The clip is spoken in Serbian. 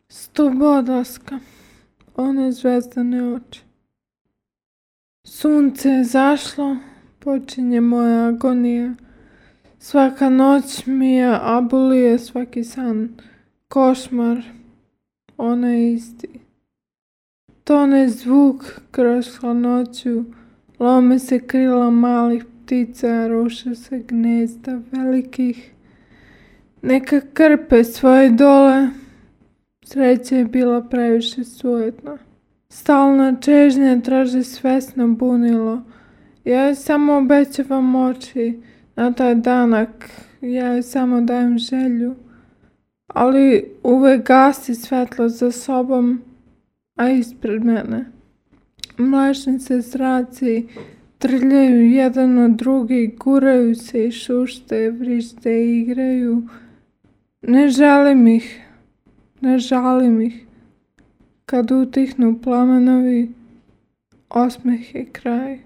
Stub odlaska, one zvezdane oči. Sunce je zašlo, počinje moja agonija. Svaka noć mi je abulije, svaki san košmar, onaj isti. Tone zvuk kroz hladnoću, lome se krila malih ptica, ruše se gnezda velikih. Neka krpe svoje dole, sreća je bila previše sujetna. Stalna čežnja traži svesno bunilo. Ja joj samo obećavam oči na taj danak, ja joj samo dajem želju, ali uvek gasi svetlo za sobom, a ispred mene mlečni se zraci trljaju jedan od drugi, guraju se i šušte, vrište i igraju. Ne žalim ih. Kad utihnu plamenovi, osmeh je kraj.